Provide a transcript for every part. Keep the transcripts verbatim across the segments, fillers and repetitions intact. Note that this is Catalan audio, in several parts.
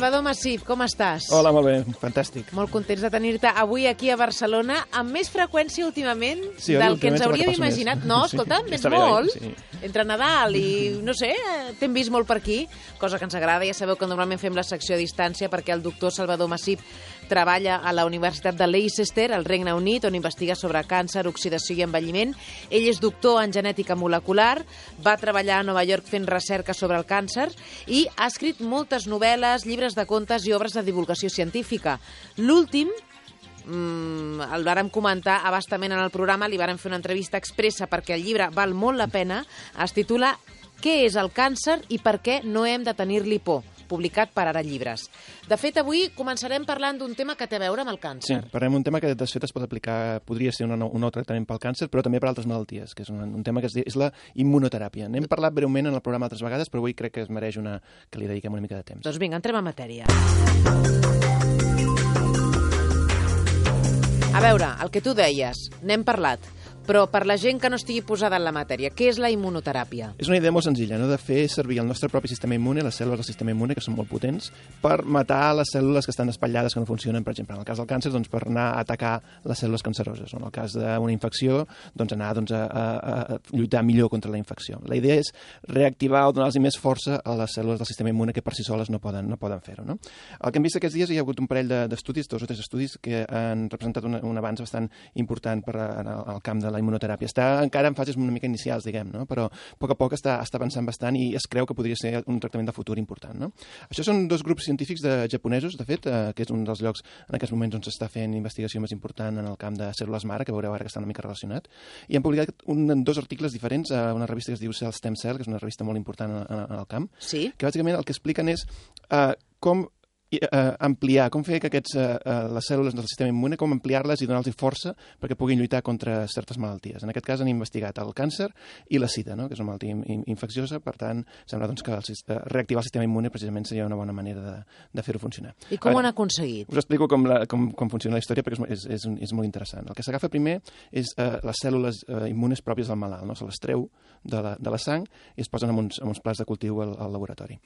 Salvador Massip, com estàs? Hola, molt bé, fantàstic. Molt contents de tenir-te avui aquí a Barcelona, amb més freqüència últimament sí, del que ens que hauríem imaginat. Més. No, escolta, sí, més molt. Bé, sí. Entre Nadal i, no sé, t'hem vist molt per aquí, cosa que ens agrada. Ja sabeu que normalment fem la secció a distància perquè el doctor Salvador Massip treballa a la Universitat de Leicester, al Regne Unit, on investiga sobre càncer, oxidació i envelliment. Ell és doctor en genètica molecular, va treballar a Nova York fent recerca sobre el càncer i ha escrit moltes novel·les, llibres de contes i obres de divulgació científica. L'últim, mmm, el vàrem comentar abastament en el programa, li vàrem fer una entrevista expressa perquè el llibre val molt la pena, es titula Què és el càncer i per què no hem de tenir-li por?, publicat per Ara Llibres. De fet, avui començarem parlant d'un tema que té a veure amb el càncer. Sí, parlem d'un tema que de fet es pot aplicar, podria ser un nou, un nou tractament pel càncer, però també per altres malalties, que és un, un tema que és, és la immunoteràpia. N'hem parlat breument en el programa altres vegades, però avui crec que es mereix una, que li dediquem una mica de temps. Doncs vinga, entrem en matèria. A veure, el que tu deies, n'hem parlat, però per la gent que no estigui posada en la matèria, què és la immunoteràpia? És una idea molt senzilla, no? De fer servir el nostre propi sistema immune, les cèl·lules del sistema immune, que són molt potents, per matar les cèl·lules que estan espatllades, que no funcionen, per exemple. En el cas del càncer, doncs, per anar a atacar les cèl·lules canceroses. En el cas d'una infecció, doncs, anar doncs, a, a, a lluitar millor contra la infecció. La idea és reactivar o donar-los més força a les cèl·lules del sistema immune que per si soles no poden, no poden fer-ho. No? El que hem vist aquests dies, hi ha hagut un parell d'estudis, dos o tres estudis, que han representat un, un avanç bastant important per a, en el, el camp de la immunoteràpia. Està encara en fases una mica inicials, diguem, no? Però a poc a poc està, està avançant bastant i es creu que podria ser un tractament de futur important. No? Això són dos grups científics de japonesos, de fet, eh, que és un dels llocs en aquests moments on s'està fent investigació més important en el camp de cèl·lules mare, que veureu ara que està una mica relacionat, i han publicat un, dos articles diferents a una revista que es diu Cell Stem Cell, que és una revista molt important en, en el camp, sí? Que bàsicament el que expliquen és eh, com Uh, ampliar, com fer que aquests, uh, uh, les cèl·lules del sistema immune, com ampliar-les i donar-los força perquè puguin lluitar contra certes malalties. En aquest cas han investigat el càncer i la sida, no? Que és una malaltia in infecciosa, per tant, sembla doncs, que el, uh, reactivar el sistema immune precisament seria una bona manera de, de fer-ho funcionar. I com ho han aconseguit? Us explico com, la, com, com funciona la història perquè és, és, és molt interessant. El que s'agafa primer és uh, les cèl·lules uh, immunes pròpies del malalt, no? Se les treu de la, de la sang i es posen en uns, en uns plats de cultiu al, al laboratori.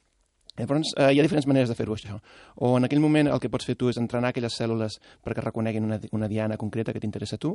Llavors, eh, hi ha diferents maneres de fer-ho, això. O en aquell moment el que pots fer tu és entrenar aquelles cèl·lules perquè reconeguin una, una diana concreta que t'interessa a tu,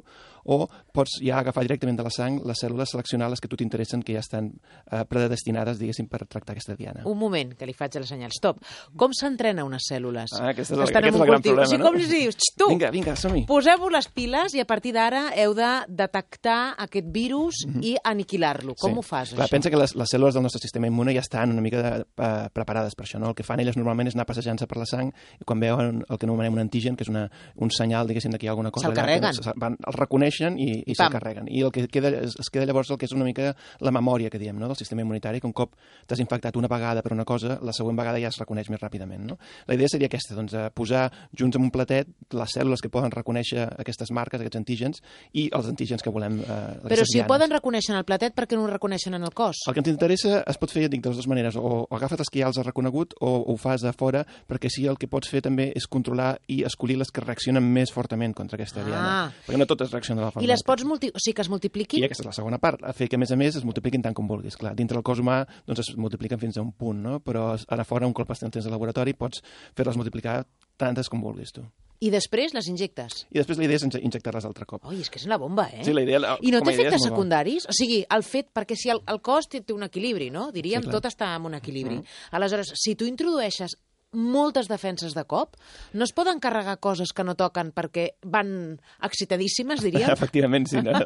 o pots ja agafar directament de la sang les cèl·lules, seleccionar les que tu t'interessen, que ja estan eh, predestinades, diguéssim, per tractar aquesta diana. Un moment, que li faig el senyal. Stop. Com s'entrena unes cèl·lules? Ah, aquest és el, aquest és el gran problema, o sigui, no? Com li dius? Tu, vinga, vinga, som-hi. Poseu-vos les piles i a partir d'ara heu de detectar aquest virus mm -hmm. i aniquilar-lo. Com sí. ho fas, Clar, això? pensa que les, les cèl·lules del nostre sistema immune ja estan una mica de, uh, preparades per això, no? El que fan elles normalment és anar passejant-se per la sang i quan veuen el que anomenem un antigen, que és una, un senyal, diguéssim, que hi ha alguna cosa se'l allà, carreguen. Que van, el reconeixen i, i se'l carreguen. I el que queda, es, es queda llavors el que és una mica la memòria, que diem, no? Del sistema immunitari, que un cop t'has infectat una vegada per una cosa, la següent vegada ja es reconeix més ràpidament, no? La idea seria aquesta, doncs, posar junts en un platet les cèl·lules que poden reconèixer aquestes marques, aquests antígens, i els antígens que volem... Eh, Però si ho poden reconèixer en el platet, per què no ho reconeixen en el cos? El que ens interessa es pot fer, ja dic, de les dues maneres. O, o agafes les que ja els has reconegut o, o ho fas a fora, perquè sí, el que pots fer també és controlar i escollir les que reaccionen més fortament contra aquesta ah. diana. Perquè no totes reaccionen de la forma. I les pots multi... o sigui, que es multipliquin? I aquesta és la segona part, a fer que a més a més es multipliquin tant com vulguis. Clar, dintre del cos humà doncs es multipliquen fins a un punt, no? Però ara fora, un cop estan tens de laboratori, pots fer-les multiplicar tantes com vulguis tu. I després les injectes? I després la idea és injectar-les altre cop. Oi, és que és una bomba, eh? Sí, la idea, I no té efectes bo. secundaris? O sigui, el fet, perquè si el, el cos té, té un equilibri, no? Diríem, sí, tot està en un equilibri. Mm. Aleshores, si tu introdueixes moltes defenses de cop, no es poden carregar coses que no toquen perquè van excitadíssimes, diríem? Efectivament, sí. No?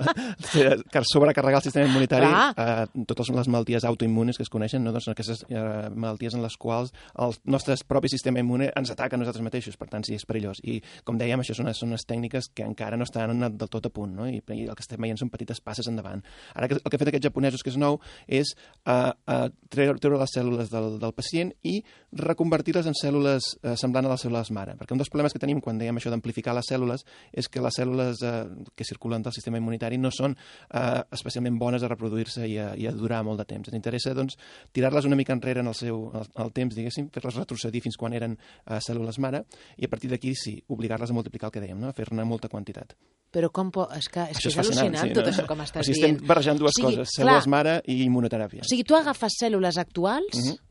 Que sobrecarregar el sistema immunitari, eh, totes les malalties autoimmunes que es coneixen, no? Doncs són aquestes eh, malalties en les quals el nostre propi sistema immune ens ataca a nosaltres mateixos, per tant, sí, és perillós. I, com dèiem, això són, són unes tècniques que encara no estan del tot a punt, no? I, i el que estem veient són petites passes endavant. Ara, el que han fet aquests japonesos, que és nou, és eh, eh, treure, treure les cèl·lules del, del pacient i reconvertir-les en cèl·lules eh, semblant a les cèl·lules mare. Perquè un dels problemes que tenim quan dèiem això d'amplificar les cèl·lules és que les cèl·lules eh, que circulen del sistema immunitari no són eh, especialment bones a reproduir-se i, i a durar molt de temps. Ens interessa, doncs, tirar-les una mica enrere en el seu el, el temps, diguéssim, fer-les retrocedir fins quan eren eh, cèl·lules mare i a partir d'aquí, sí, obligar-les a multiplicar el que dèiem, no? A fer-ne molta quantitat. Però com po... És que és, que és, és al·lucinant, sí, tot no? Això que m'estàs o sigui, dient. estem barrejant dues o sigui, coses, cèl·lules clar, mare i immunoteràpia. O sigui, tu agafes cèl·lules actuals... Uh-huh.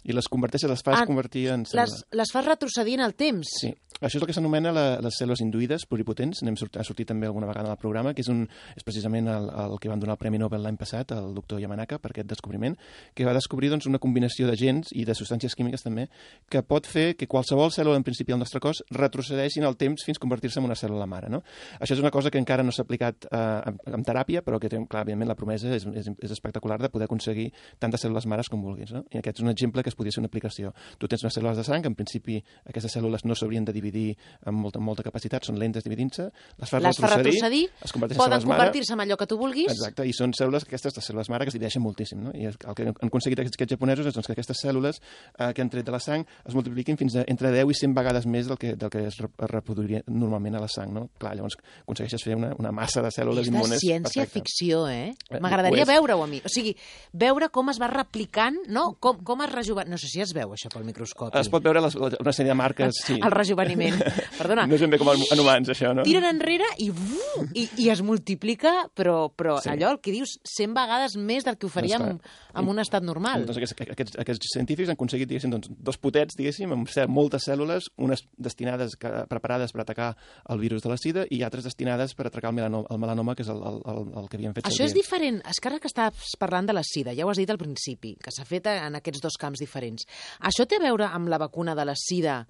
i les converteixes, les fas ah, convertir en cèl·lules. Les, les fas retrocedir en el temps? Sí. Això és el que s'anomena la, les cèl·lules induïdes pluripotents, n'hem sortit, ha sortit també alguna vegada al programa, que és, un, és precisament el, el que van donar el Premi Nobel l'any passat, el doctor Yamanaka, per aquest descobriment, que va descobrir doncs, una combinació de gens i de substàncies químiques també, que pot fer que qualsevol cèl·lula en principi del nostre cos retrocedeixi en el temps fins a convertir-se en una cèl·lula mare. No? Això és una cosa que encara no s'ha aplicat eh, en, en teràpia, però que té, clar, evidentment, la promesa és, és, és espectacular de poder aconseguir tantes cèl·lules mares com vulguis. No? I aquest és un exemple que es podria ser una aplicació. Tu tens unes cèl·lules de sang, que en principi aquestes cèl·lules no s'haurien de dividir amb molta, molta capacitat, són lentes dividint-se, les fas les retrocedir, retrocedir, es converteixen en poden cèl·lules mare. Convertir-se en allò que tu vulguis. Exacte, i són cèl·lules, aquestes les cèl·lules mare, que es divideixen moltíssim. No? I el que han aconseguit aquests, aquests japonesos és doncs, que aquestes cèl·lules eh, que han tret de la sang es multipliquin fins a entre deu i cent vegades més del que, del que es reproduiria normalment a la sang. No? Clar, llavors aconsegueixes fer una, una massa de cèl·lules immunes. És de ciència-ficció, eh? M'agradaria veure-ho a mi. O sigui, veure com es va replicant, no? Com, com es rejuveneix. No sé si es veu això pel microscopi. Es pot veure les, una sèrie de marques, sí. El rejuveniment. Perdona. No és ben bé com en humans, això, no? Tiren enrere i, uh, i, i es multiplica, però, però sí. Allò, el que dius, cent vegades més del que ho faríem doncs, en un estat normal. Doncs aquests, aquests, aquests científics han aconseguit, diguéssim, doncs, dos potets, diguéssim, amb moltes cèl·lules, unes destinades, preparades per atacar el virus de la sida i altres destinades per atacar el melanoma, el melanoma que és el, el, el que havien fet servir. Això és diferent. És que ara que estàs parlant de la sida, ja ho has dit al principi, que s'ha fet en aquests dos camps diferents. Això té a veure amb la vacuna de la sida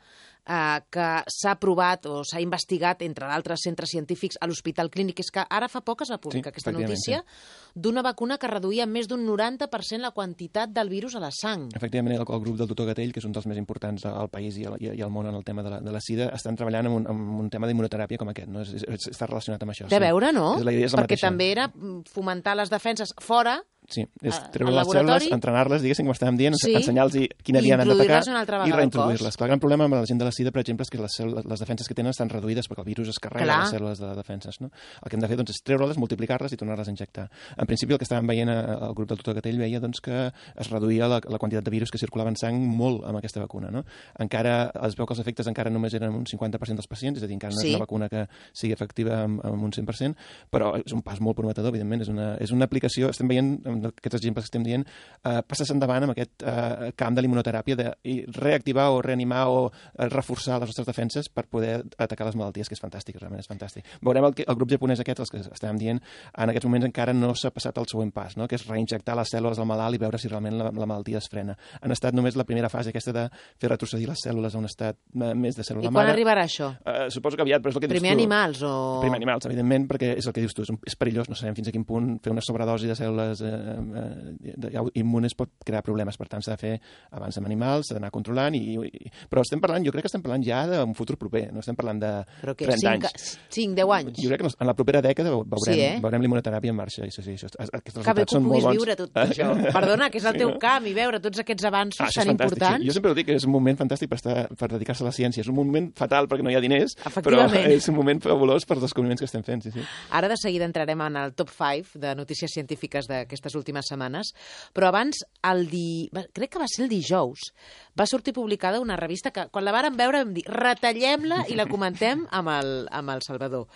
eh, que s'ha provat o s'ha investigat, entre d'altres centres científics, a l'Hospital Clínic. És que ara fa poc es va publicar sí, aquesta notícia sí. d'una vacuna que reduïa més d'un noranta per cent la quantitat del virus a la sang. Efectivament, el, el grup del doctor Gatell, que és un dels més importants al país i al, i al món en el tema de la, de la sida, estan treballant en un, en un tema d'immunoteràpia com aquest. No? És, és, està relacionat amb això. De sí. veure, no? La idea és la Perquè mateixa. també era fomentar les defenses fora. Sí, és treure les cèl·lules, entrenar-les, diguéssim, com estàvem dient, sí. ensenyar-los quina via han d'atacar i reintroduir-les. El gran problema amb la gent de la sida, per exemple, és que les, les defenses que tenen estan reduïdes perquè el virus es carrega Clar. les cèl·lules de les defenses. No? El que hem de fer doncs, és treure-les, multiplicar-les i tornar-les a injectar. En principi, el que estàvem veient al grup del doctor Gatell veia doncs, que es reduïa la, la quantitat de virus que circulava en sang molt amb aquesta vacuna. No? Encara es veu que els efectes encara només eren un cinquanta per cent dels pacients, és a dir, encara no sí. és una vacuna que sigui efectiva amb, amb un cent per cent, però és un pas molt prometedor, evidentment. És una, és una aplicació, estem veient aquests exemples estem dient, uh, passes endavant amb aquest uh, camp de l'immunoteràpia de reactivar o reanimar o uh, reforçar les nostres defenses per poder atacar les malalties, que és fantàstic, realment és fantàstic. Veurem el, el grup japonès aquest, els que estàvem dient, en aquests moments encara no s'ha passat al següent pas, no? Que és reinjectar les cèl·lules al malalt i veure si realment la, la malaltia es frena. Han estat només la primera fase aquesta de fer retrocedir les cèl·lules a un estat uh, més de cèl·lula mare. I quan arribarà això? Uh, suposo que aviat, però és el que dius Primer tu. animals o... Primer animals, evidentment, perquè és el que dius tu, és, un, és perillós, no sabem fins a quin punt fer una sobredosi de cèl·lules uh, uh, de, immunes pot crear problemes, per tant s'ha de fer abans amb animals, s'ha d'anar controlant, i, i, però estem parlant, jo crec que estem parlant ja d'un futur proper, no estem parlant de que trenta cinc, anys. cinc, deu anys. Jo crec que en la propera dècada veurem, sí, eh? veurem l'immunoteràpia en marxa. Això, sí, això, aquests resultats són molt bons. Viure tot això. Perdona, que és el sí, teu no? camp, i veure tots aquests avanços ah, tan importants. Sí. Jo sempre ho dic, que és un moment fantàstic per, estar, per dedicar-se a la ciència. És un moment fatal perquè no hi ha diners, però és un moment fabulós per els descobriments que estem fent. Sí, sí. Ara de seguida entrarem en el top cinc de notícies científiques d'aquestes últimes setmanes, però abans, el di... crec que va ser el dijous, va sortir publicada una revista que, quan la vàrem veure, vam dir, retallem-la i la comentem amb el, amb el Salvador.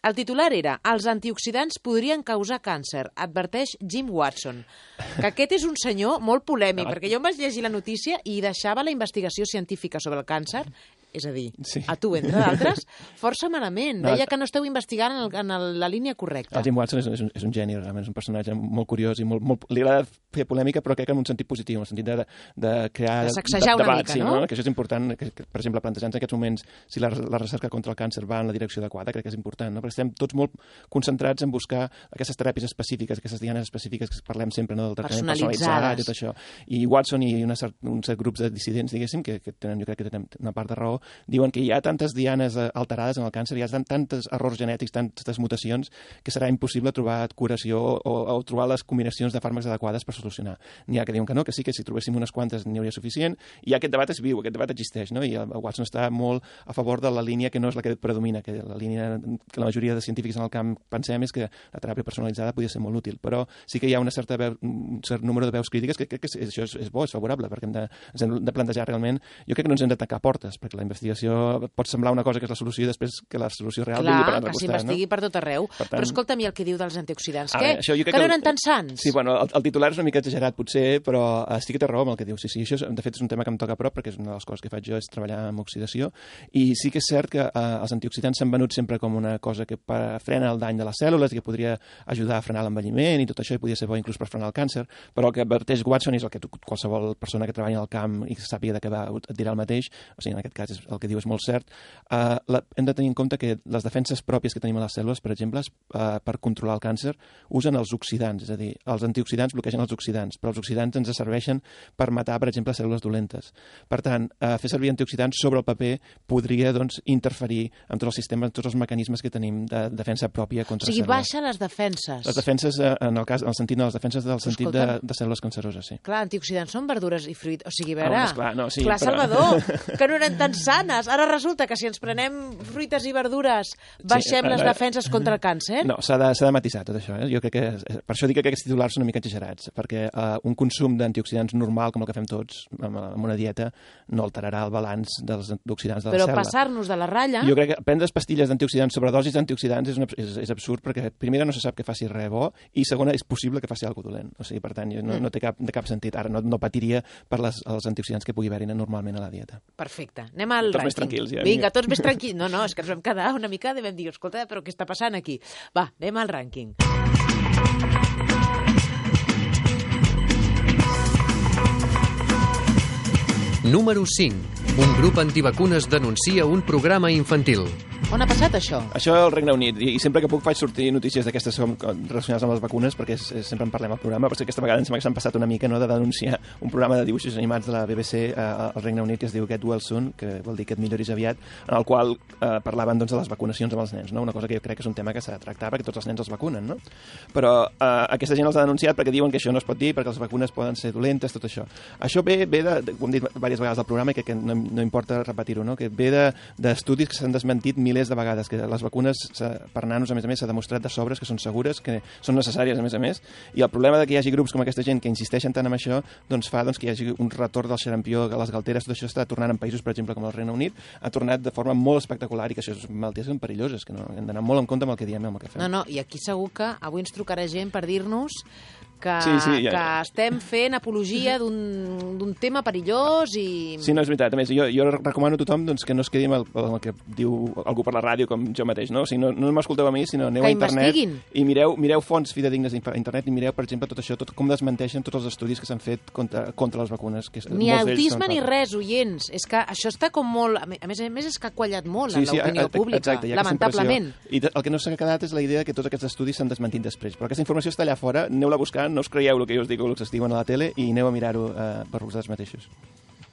El titular era «Els antioxidants podrien causar càncer», adverteix Jim Watson. Que aquest és un senyor molt polèmic, perquè jo em vaig llegir la notícia i deixava la investigació científica sobre el càncer, és a dir, sí. a tu, entre d'altres, força malament. No, Deia que no esteu investigant en, el, en el, la línia correcta. El Jim Watson és, és, un, és un geni, realment, és un personatge molt curiós i molt, molt, li agrada fer polèmica, però crec que en un sentit positiu, en el sentit de, de crear de sacsejar una debat, mica, sí, no? no? Que això és important, que, que, per exemple, plantejar-nos en aquests moments si la, la recerca contra el càncer va en la direcció adequada, crec que és important, no? Perquè estem tots molt concentrats en buscar aquestes teràpies específiques, aquestes dianes específiques que parlem sempre, no? Del tractament personalitzat i tot això. I Watson i una cert, un cert grups de dissidents, diguéssim, que, que tenen, jo crec que tenen una part de raó, diuen que hi ha tantes dianes alterades en el càncer, hi ha tantes errors genètics, tantes mutacions, que serà impossible trobar curació o, o trobar les combinacions de fàrmacs adequades per solucionar. N'hi ha que diuen que no, que sí, que si trobéssim unes quantes n'hi hauria suficient, i aquest debat és viu, aquest debat existeix, no? I el Watson està molt a favor de la línia que no és la que predomina, que la línia que la majoria de científics en el camp pensem és que la teràpia personalitzada podria ser molt útil, però sí que hi ha una certa veu, un cert número de veus crítiques que crec que això és, és bo, és favorable, perquè hem de, ens hem de plantejar realment, jo crec que no ens hem de tancar portes, perquè la investigació pot semblar una cosa que és la solució i després que la solució real Clar, vingui per l'altre que costat. s'investigui no? per tot arreu. Per tant... Però escolta'm, i el que diu dels antioxidants? A Què? veure, això jo crec que no que- eren tan sants? Sí, bueno, el, el titular és una mica exagerat potser, però uh, sí que té raó amb el que diu. Sí, sí, això és, de fet és un tema que em toca a prop perquè és una de les coses que faig jo és treballar amb oxidació i sí que és cert que uh, els antioxidants s'han venut sempre com una cosa que per, frena el dany de les cèl·lules i que podria ajudar a frenar l'envelliment i tot això i podria ser bo inclús per frenar el càncer, però el que adverteix Watson és el que tu, qualsevol persona que treballa al camp i que sàpiga de què va et dirà el mateix, o sigui, en aquest cas és, el que diu és molt cert. Uh, la, hem de tenir en compte que les defenses pròpies que tenim a les cèl·lules, per exemple, uh, per controlar el càncer, usen els oxidants, és a dir, els antioxidants bloquegen els oxidants, però els oxidants ens serveixen per matar, per exemple, cèl·lules dolentes. Per tant, uh, fer servir antioxidants sobre el paper podria doncs, interferir amb tots els sistemes, tots els mecanismes que tenim de defensa pròpia contra O sigui, cèl·lules. baixa les defenses. Les defenses, uh, en el cas, en el sentit de les defenses del sentit de, escolta'm. de cèl·lules canceroses, sí. Clar, antioxidants són verdures i fruit. O sigui, a veure... Ah, doncs clar, no, sí, clar, però- Salvador, que no eren tan sanes. Ara resulta que si ens prenem fruites i verdures baixem Sí, les eh, defenses contra el càncer? No, s'ha de, s'ha de matisar tot això. Eh? Jo crec que, per això dic que aquests titulars són una mica exagerats, perquè uh, un consum d'antioxidants normal, com el que fem tots, amb, amb una dieta, no alterarà el balanç dels antioxidants de la Però cèl·lula. passar-nos de la ratlla... Jo crec que prendre pastilles d'antioxidants sobre dosis d'antioxidants és, una, és, és absurd, perquè primera no se sap que faci res bo, i segona és possible que faci alguna cosa dolent. O sigui, per tant, no, no té cap, de cap sentit. Ara no, no patiria per les, els antioxidants que pugui haver-hi normalment a la dieta. Perfecte. Anem al Tots rànquing. més tranquils, ja, Vinga, vinga. tots més tranquils. No, no, és que ens vam quedar una mica i vam dir, escolta, però què està passant aquí? Va, anem al rànquing. Número cinc. Un grup antivacunes denuncia un programa infantil. On ha passat això? Això al Regne Unit, i, i sempre que puc faig sortir notícies d'aquestes com- com relacionades amb les vacunes, perquè és, és, sempre en parlem al programa, però és que aquesta vegada em sembla que s'han passat una mica no, de denunciar un programa de dibuixos animats de la B B C eh, al Regne Unit que es diu Get Well Soon, que vol dir que et milloris aviat, en el qual eh, parlaven doncs, de les vacunacions amb els nens, no? Una cosa que jo crec que és un tema que s'ha de tractar perquè tots els nens els vacunen, no? Però eh, aquesta gent els ha denunciat perquè diuen que això no es pot dir, perquè les vacunes poden ser dolentes, tot això. Això ve, ve de, de com hem dit diverses vegades al programa, i que, que no, no importa repetir-ho, no? Que ve d'estudis de, que s'han desmentit milers de vegades, que les vacunes per nanos, a més a més, s'ha demostrat de sobres que són segures, que són necessàries, a més a més, i el problema de que hi hagi grups com aquesta gent que insisteixen tant en això, doncs fa doncs, que hi hagi un retorn del xarampió a les galteres, tot això està tornant en països, per exemple, com el Regne Unit, ha tornat de forma molt espectacular i que això és malalties són perilloses, que no, hem d'anar molt en compte amb el que diem i amb el que fem. No, no, i aquí segur que avui ens trucarà gent per dir-nos que, Sí, sí, ja, que ja. estem fent apologia d'un d'un tema perillós i... Sí, no, és veritat. A més, jo, jo recomano a tothom doncs, que no es quedi amb el, amb el que diu algú per la ràdio, com jo mateix, no? O sigui, no, no m'escolteu a mi, sinó aneu Que a internet investiguin. i mireu, mireu fonts fidedignes a internet i mireu, per exemple, tot això, tot com desmenteixen tots els estudis que s'han fet contra, contra les vacunes. Que Ni molts d'ells autisme són ni falsos. res, oients. És que això està com molt... A més a més, és que ha quallat molt Sí, en sí, l'opinió a- a- pública, exacte, hi ha aquesta lamentablement. impressió. I de- el que no s'ha quedat és la idea que tots aquests estudis s'han desmentit després. Però aquesta informació està allà fora, aneu-la a buscar, no us creieu el que jo us dic o el que us diuen a la tele i aneu a mirar-ho eh, per vosaltres mateixos.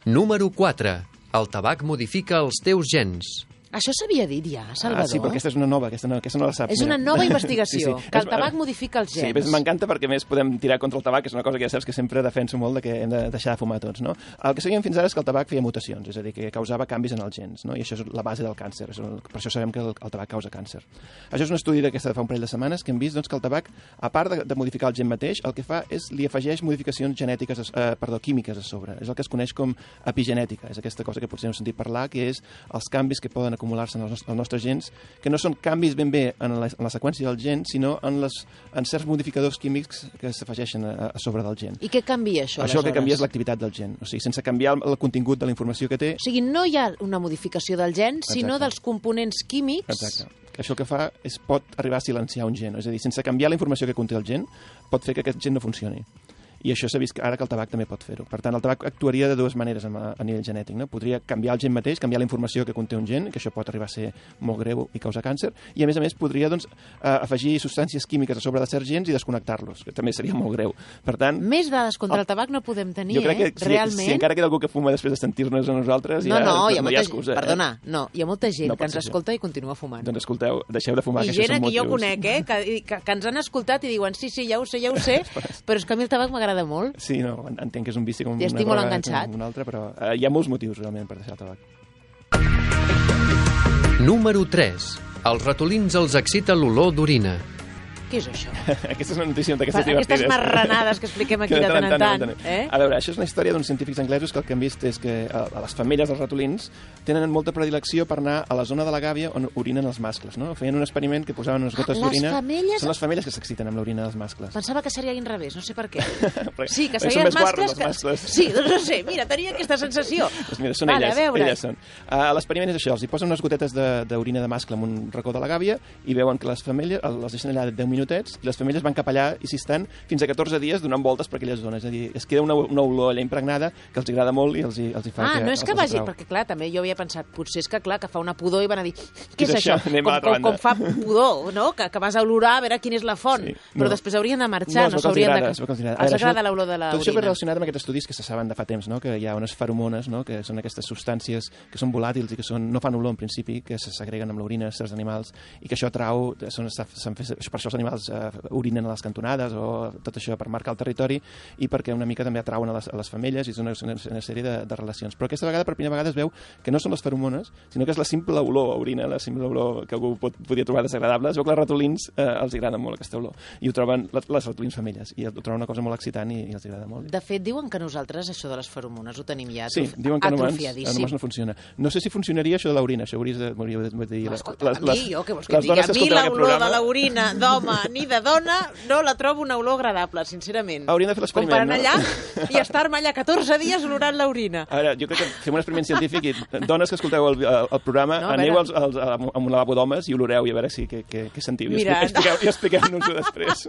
Número quatre. El tabac modifica els teus gens. Això s'havia dit ja, Salvador? Ah, sí, però aquesta és una nova, aquesta no, aquesta no la saps. És una mira. nova investigació, Sí, sí. que el És- tabac modifica els gens. Sí, ves, m'encanta perquè a més podem tirar contra el tabac, que és una cosa que ja saps que sempre defenso molt de que hem de deixar de fumar tots, no? El que sabíem fins ara és que el tabac feia mutacions, és a dir, que causava canvis en els gens, no? I això és la base del càncer, és un- per això sabem que el, el tabac causa càncer. Això és un estudi d'aquesta de fa un parell de setmanes que hem vist doncs, que el tabac, a part de, de modificar el gen mateix, el que fa és li afegeix modificacions genètiques, eh, perdó, químiques a sobre. És el que es coneix com epigenètica, és aquesta cosa que potser heu sentit parlar, que és els canvis que poden acumular-se en els, nostres, els nostres gens, que no són canvis ben bé en la, en la seqüència del gen, sinó en, les, en certs modificadors químics que s'afegeixen a, a sobre del gen. I què canvia això, Això el que aleshores? canvia és l'activitat del gen, o sigui, sense canviar el, el contingut de la informació que té. O sigui, no hi ha una modificació del gen, sinó Exacte. dels components químics. Exacte. Que això el que fa és pot arribar a silenciar un gen, és a dir, sense canviar la informació que conté el gen, pot fer que aquest gen no funcioni. I això s'ha vist ara que el tabac també pot fer-ho. Per tant, el tabac actuaria de dues maneres a, a nivell genètic. No? Podria canviar el gen mateix, canviar la informació que conté un gen, que això pot arribar a ser molt greu i causar càncer, i a més a més podria doncs, afegir substàncies químiques a sobre de certs gens i desconnectar-los, que també seria molt greu. Per tant, Més dades contra el tabac no podem tenir, jo crec que eh? si, Realment. si encara queda algú que fuma després de sentir-nos a nosaltres, No, ja no, hi ha no hi molta ha excusa. Perdona, no, hi ha molta gent No que pot ens ser escolta i continua fumant. Eh? Doncs escolteu, deixeu de fumar, I que això gent són que jo motius. conec, eh, que, que, que ens han escoltat i diuen sí, sí, ja ho sé, ja ho sé, però és que a mi el tabac m'agrada molt. Sí, no, entenc que és un vici com I una estic molt droga, enganxat. com un altre, però eh, hi ha molts motius realment per deixar el tabac. Número tres. Els ratolins els excita l'olor d'orina. Què és això? Aquesta és una notícia d'aquestes divertides. Aquestes marranades que expliquem aquí de tant en tant. Eh? A veure, això és una història d'uns científics anglesos que el que han vist és que a les femelles dels ratolins tenen molta predilecció per anar a la zona de la gàbia on orinen els mascles, no? Feien un experiment que posaven unes gotes ah, d'orina. Femelles... Són les femelles que s'exciten amb l'orina dels mascles. Pensava que seria al revés, no sé per què. Sí, que serien els mascles... Que... mascles. Sí, doncs no sé, mira, tenia aquesta sensació. Doncs mira, són vale, elles, elles són. Uh, L'experiment és això, els hi posen unes gotetes d'orina de, de mascle en un racó de la gàbia i veuen que les femelles les deixen allà deu minutets i les femelles van cap allà i s'hi estan fins a catorze dies donant voltes per aquelles zones. És a dir, es queda una, una olor allà impregnada que els agrada molt i els hi, els hi fa... Ah, que, no és que vagi... Perquè, clar, també jo havia pensat, potser és que, clar, que fa una pudor i van a dir, què és, és això? Anem com, a l'altra com, com fa pudor, no? Que, que vas a olorar a veure quina és la font. Sí, no. Però després haurien de marxar, no, no s'haurien de... Els agrada l'olor de l'orina. Tot això ve relacionat amb aquests estudis que se saben de fa temps, no? Que hi ha unes feromones, no? Que són aquestes substàncies que són volàtils i que són, no fan olor en principi, que se segreguen amb l'orina de certs animals i que això atrau, són, fet, per això els animals eh, orinen a les cantonades o tot això per marcar el territori i perquè una mica també atrauen a les, a les femelles i és una, una, una sèrie de, de relacions. Però aquesta vegada, per primera vegada, es veu que no són les feromones, sinó que és la simple olor a orina, la simple olor que algú pot, podria trobar desagradable. Es veu que els ratolins eh, els agrada molt aquesta olor i ho troben les, les ratolins femelles i ho troben una cosa molt excitant i, i els agrada molt. De fet, diuen que nosaltres això de les feromones ho tenim ja sí, diuen que atrofiadíssim. Sí, no funciona. No sé si funcionaria això de l'orina, això hauries de, hauries de dir... Les, Escolta, les, les, a mi, jo què vols que et digui? A mi l'olor de l'orina d'home ni de dona no la trobo una olor agradable, sincerament. Hauríem de fer l'experiment, no? Com per anar allà i estar-me allà catorze dies olorant l'orina. A veure, jo crec que fem un experiment científic i dones que escolteu el, el, el programa, no, aneu als, als, a un lavabo d'homes i oloreu i a veure si, què, què, què sentiu. Mira, I expliqueu-nos expliqueu després.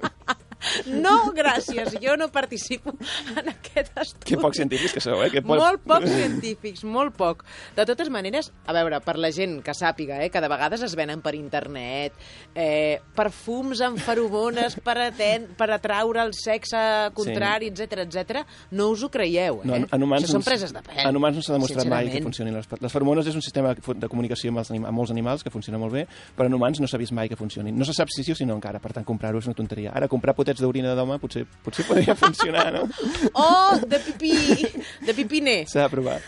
No, gràcies, jo no participo en aquest estudi. Que pocs científics que sou, eh? Que pot... Molt pocs científics, molt poc. De totes maneres, a veure, per la gent que sàpiga, eh, que de vegades es venen per internet, eh, perfums amb feromones per, aten per atraure el sexe contrari, sí. etc etcètera, no us ho creieu, eh? No, en, en humans, Això són preses de pèl. En humans no s'ha demostrat mai que funcionin. Les, les feromones és un sistema de comunicació amb, els anim, amb molts animals que funciona molt bé, però en humans no s'ha vist mai que funcionin. No se sap si sí o si no encara, per tant, comprar-ho és una tonteria. Ara, comprar potets d'orina d'home potser, potser podria funcionar, no? Oh, de pipí, de pipiner. S'ha de provar.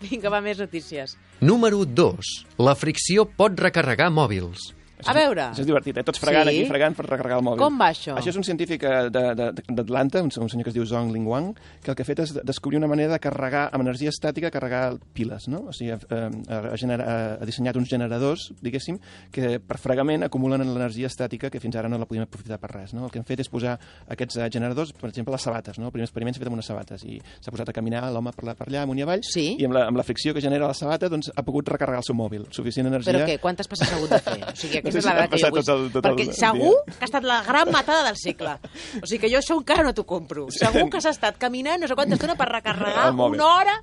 Vinga, va, més notícies. Número dos. La fricció pot recarregar mòbils. A veure... Això és divertit, eh? Tots fregant sí? aquí, fregant per recarregar el mòbil. Com va això? Això és un científic d'Atlanta, un, un senyor que es diu Zhong Lingwang, que el que ha fet és descobrir una manera de carregar amb energia estàtica, carregar piles, no? O sigui, ha, ha, genera, ha dissenyat uns generadors, diguéssim, que per fregament acumulen l'energia estàtica que fins ara no la podíem aprofitar per res, no? El que han fet és posar aquests generadors, per exemple, les sabates, no? El primer experiment s'ha fet amb unes sabates i s'ha posat a caminar l'home per, per allà, amunt i avall, sí? i amb la, amb la fricció que genera la sabata doncs, ha pogut recarregar el seu mòbil. Suficient energia... Però què? Quantes passes ha hagut de fer? O sigui, aquesta és la dada que jo vull. Tot el, tot perquè el segur dia. Que ha estat la gran matada del segle. O sigui que jo això encara no t'ho compro. Segur que s'ha estat caminant no sé quanta estona per recarregar una hora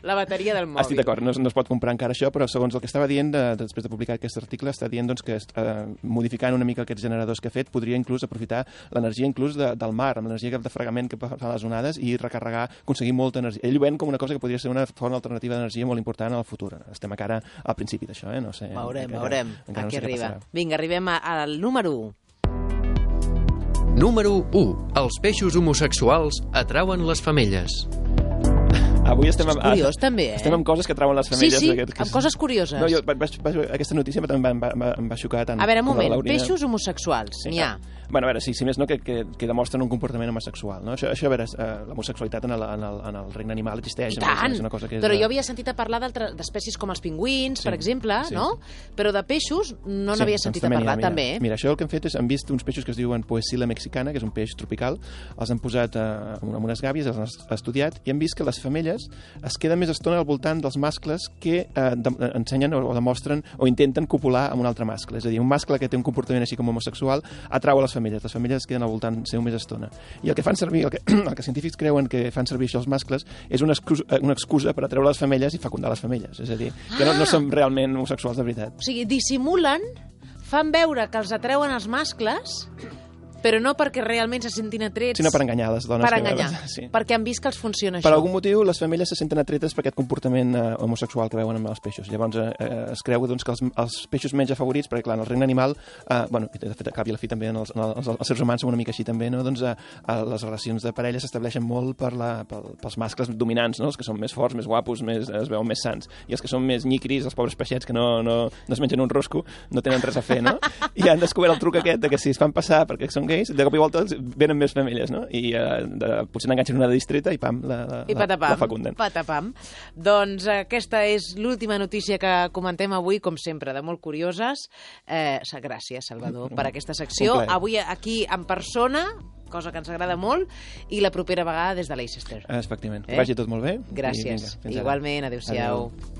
la bateria del mòbil. Estic d'acord, no, no es pot comprar encara això, però segons el que estava dient, de, després de publicar aquest article, està dient doncs, que eh, modificant una mica aquests generadors que ha fet, podria inclús aprofitar l'energia inclús de, del mar, amb l'energia de fregament que fa les onades i recarregar, aconseguir molta energia. Ell ho ven com una cosa que podria ser una font alternativa d'energia molt important en el futur. Estem encara al principi d'això, eh? No sé. Veurem, encara, veurem. Encara Aquí no sé arriba. Vinga, arribem al número u. Número u. Els peixos homosexuals atrauen les femelles. Avui estem amb, curiós, també, eh? estem amb coses que trauen les femelles. Sí, sí, aquest, que... amb coses curioses. No, jo, vaig, vaig, aquesta notícia em va, em va, em va xocar tant. A veure, un moment, peixos homosexuals, sí, n'hi ha. Bueno, a veure, sí, si més no, que, que, que demostren un comportament homosexual, no? Això, això a veure, uh, l'homosexualitat en, el, en, el, en el regne animal existeix. I tant! És una cosa que és, però jo havia sentit a parlar d'espècies com els pingüins, sí, per exemple, sí, no? Però de peixos no sí, n'havia sentit a parlar, mira, també. Mira, això el que han fet és, han vist uns peixos que es diuen Poecilla mexicana, que és un peix tropical, els han posat uh, en unes gàbies, els han estudiat, i han vist que les femelles es queden més estona al voltant dels mascles que uh, de, ensenyen o, o demostren o intenten copular amb un altre mascle. És a dir, un mascle que té un comportament així com homosexual atrau a les femelles. Les femelles es queden al voltant seu més estona. I el que fan servir, el que, el que científics creuen que fan servir això els mascles és una excusa, una excusa per atreure les femelles i fecundar les femelles. És a dir, que no, no són realment homosexuals de veritat. O sigui, dissimulen, fan veure que els atreuen els mascles Però no perquè realment se sentin atrets... Sinó per enganyar les dones. Per enganyar, sí. Perquè han vist que els funciona això. Per algun motiu, les femelles se senten atretes per aquest comportament eh, homosexual que veuen amb els peixos. Llavors, eh, es creu doncs, que els, els peixos menys afavorits, perquè clar, en el regne animal, eh, bueno, de fet, a cap i a la fi també en els, en els, els seres humans som una mica així també, no? Doncs eh, les relacions de parella s'estableixen molt per la, per, pels mascles dominants, no? Els que són més forts, més guapos, més, es veuen més sants. I els que són més nyicris, els pobres peixets que no, no, no es mengen un rosco, no tenen res a fer, no? I han descobert el truc aquest de que si es fan passar perquè són gais, de cop i volta venen més femelles, no? I eh, de, potser n'enganxen una de distreta i pam, la, la, I patapam, la fecunden. Patapam. Doncs aquesta és l'última notícia que comentem avui, com sempre, de molt curioses. Eh, gràcies, Salvador, per aquesta secció. Avui aquí en persona, cosa que ens agrada molt, i la propera vegada des de Leicester. Efectivament. Eh? Que vagi tot molt bé. Gràcies. I vinga, igualment, adéu-siau. Adéu.